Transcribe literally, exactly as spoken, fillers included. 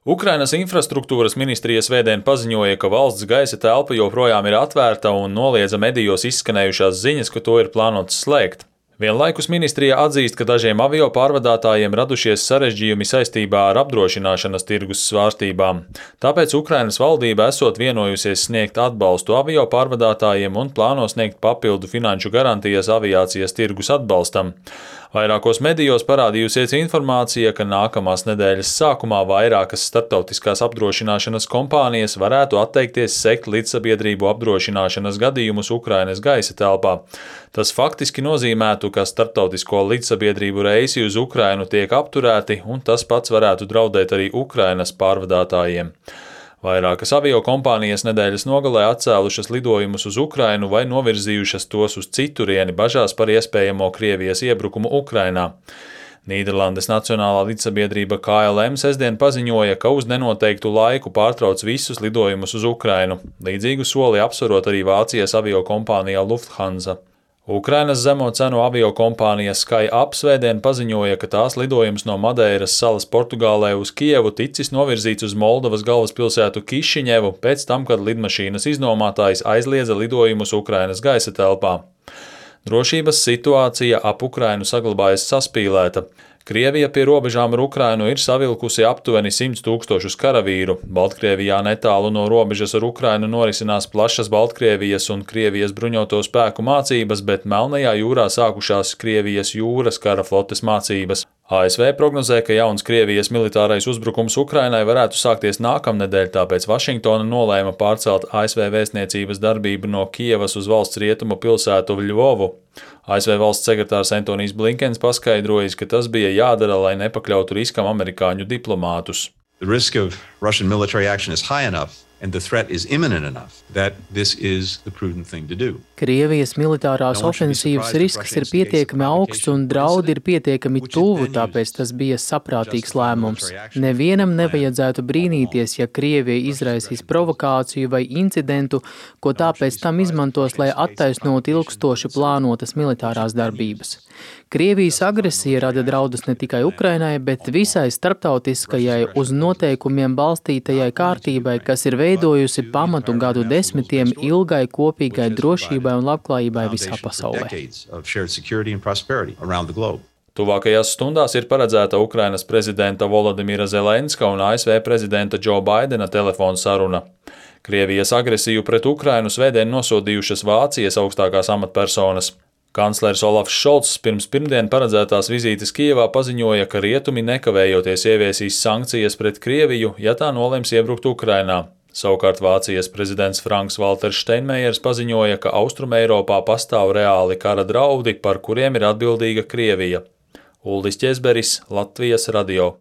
Ukrainas infrastruktūras ministrija svētdien paziņoja, ka valsts gaisa telpa joprojām ir atvērta un noliedza medijos izskanējušās ziņas, ka to ir plānots slēgt. Vienlaikus ministrija atzīst, ka dažiem avio pārvadātājiem radušies sarežģījumi saistībā ar apdrošināšanas tirgus svārstībām. Tāpēc Ukrainas valdība esot vienojusies sniegt atbalstu avio pārvadātājiem un plāno sniegt papildu finanšu garantijas aviācijas tirgus atbalstam. Vairākos medijos parādījusies informācija, ka nākamās nedēļas sākumā vairākas starptautiskās apdrošināšanas kompānijas varētu atteikties sekt līdzsabiedrību apdrošināšanas gadījumus Ukrainas gaisa telpā. Tas faktiski nozīmētu, ka starptautisko līdzsabiedrību reisi uz Ukrainu tiek apturēti, un tas pats varētu draudēt arī Ukrainas pārvadātājiem. Vairākas aviokompānijas nedēļas nogalē atcēlušas lidojumus uz Ukrainu vai novirzījušas tos uz citurieni bažās par iespējamo Krievijas iebrukumu Ukrainā. Nīderlandes Nacionālā līdzsabiedrība K L M sestdien paziņoja, ka uz nenoteiktu laiku pārtrauc visus lidojumus uz Ukrainu. Līdzīgu soli apsverot arī Vācijas aviokompānija Lufthansa. Ukrainas zemo cenu aviokompānija SkyUp svētdien paziņoja, ka tās lidojums no Madeiras salas Portugālē uz Kijevu ticis novirzīts uz Moldovas galvaspilsētu Kišiņevu pēc tam, kad lidmašīnas iznomātājs aizliedza lidojumus Ukrainas gaisa telpā. Drošības situācija ap Ukrainu saglabājas saspīlēta. Krievija pie robežām ar Ukrainu ir savilkusi aptuveni simts tūkstošus karavīru. Baltkrievijā netālu no robežas ar Ukrainu norisinās plašas Baltkrievijas un Krievijas bruņoto spēku mācības, bet Melnajā jūrā sākušās Krievijas jūras kara flotes mācības. A S V prognozē, ka jauns Krievijas militārais uzbrukums Ukrainai varētu sākties nākamnedēļ, tāpēc Vašingtona nolēma pārcelt A S V vēstniecības darbību no Kijevas uz valsts rietumu pilsētu Ļvovu. A S V valsts sekretārs Antonijs Blinkens paskaidrojis, ka tas bija jādara, lai nepakļautu riskam amerikāņu diplomātus. The risk of Russian military action is high enough and the threat is imminent enough that this is the prudent thing to do. Krievijas militārās ofensīvas risks ir pietiekami augsts un draudi ir pietiekami tuvu, tāpēc tas bija saprātīgs lēmums. Nevienam nevajadzētu brīnīties, ja Krievija izraisīs provokāciju vai incidentu, ko tāpēc tam izmantos, lai attaisnotu ilgstoši plānotas militārās darbības. Krievijas agresija rada draudus ne tikai Ukrainai, bet visai starptautiskajai uz noteikumiem balstītajai kārtībai, kas ir veidojusi pamatu gadu desmitiem ilgai kopīgai drošībai un labklājībai visā pasaulē. Tuvākajās stundās ir paredzēta Ukrainas prezidenta Volodimira Zelenska un A S V prezidenta Džo Baidena telefona saruna. Krievijas agresiju pret Ukrainu svētdien nosodījušas Vācijas augstākās amatpersonas. Kanclers Olafs Šolts pirms pirmdien paredzētās vizītes Kijevā paziņoja, ka rietumi nekavējoties ieviesīs sankcijas pret Krieviju, ja tā nolems iebrukt Ukrainā. Savukārt Vācijas prezidents Franks Valters Steinmeiers paziņoja, ka Austrumeiropā pastāv reāli kara draudi, par kuriem ir atbildīga Krievija. Uldis Ķezberis, Latvijas radio.